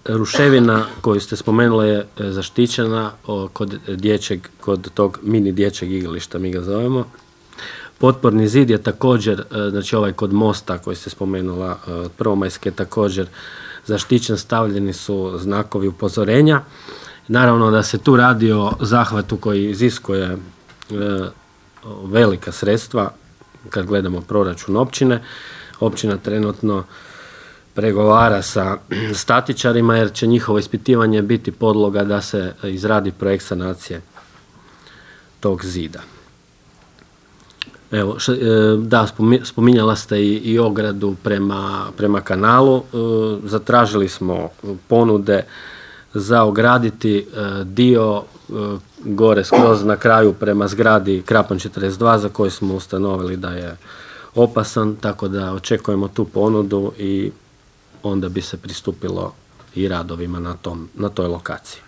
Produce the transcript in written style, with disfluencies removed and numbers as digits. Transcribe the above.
ruševina koju ste spomenuli je zaštićena kod tog mini dječjeg igrališta, mi ga zovemo. Potporni zid je također, znači ovaj kod mosta koji ste spomenula, Prvomajske, također zaštićen, stavljeni su znakovi upozorenja. Naravno da se tu radi o zahvatu koji iziskuje velika sredstva kad gledamo proračun općine. Općina trenutno pregovara sa statičarima jer će njihovo ispitivanje biti podloga da se izradi projekt sanacije tog zida. Evo, da, spominjala ste i ogradu prema kanalu. Zatražili smo ponude za ograditi dio gore skroz na kraju prema zgradi Krapan 42 za koju smo ustanovili da je opasan, tako da očekujemo tu ponudu i onda bi se pristupilo i radovima na toj lokaciji.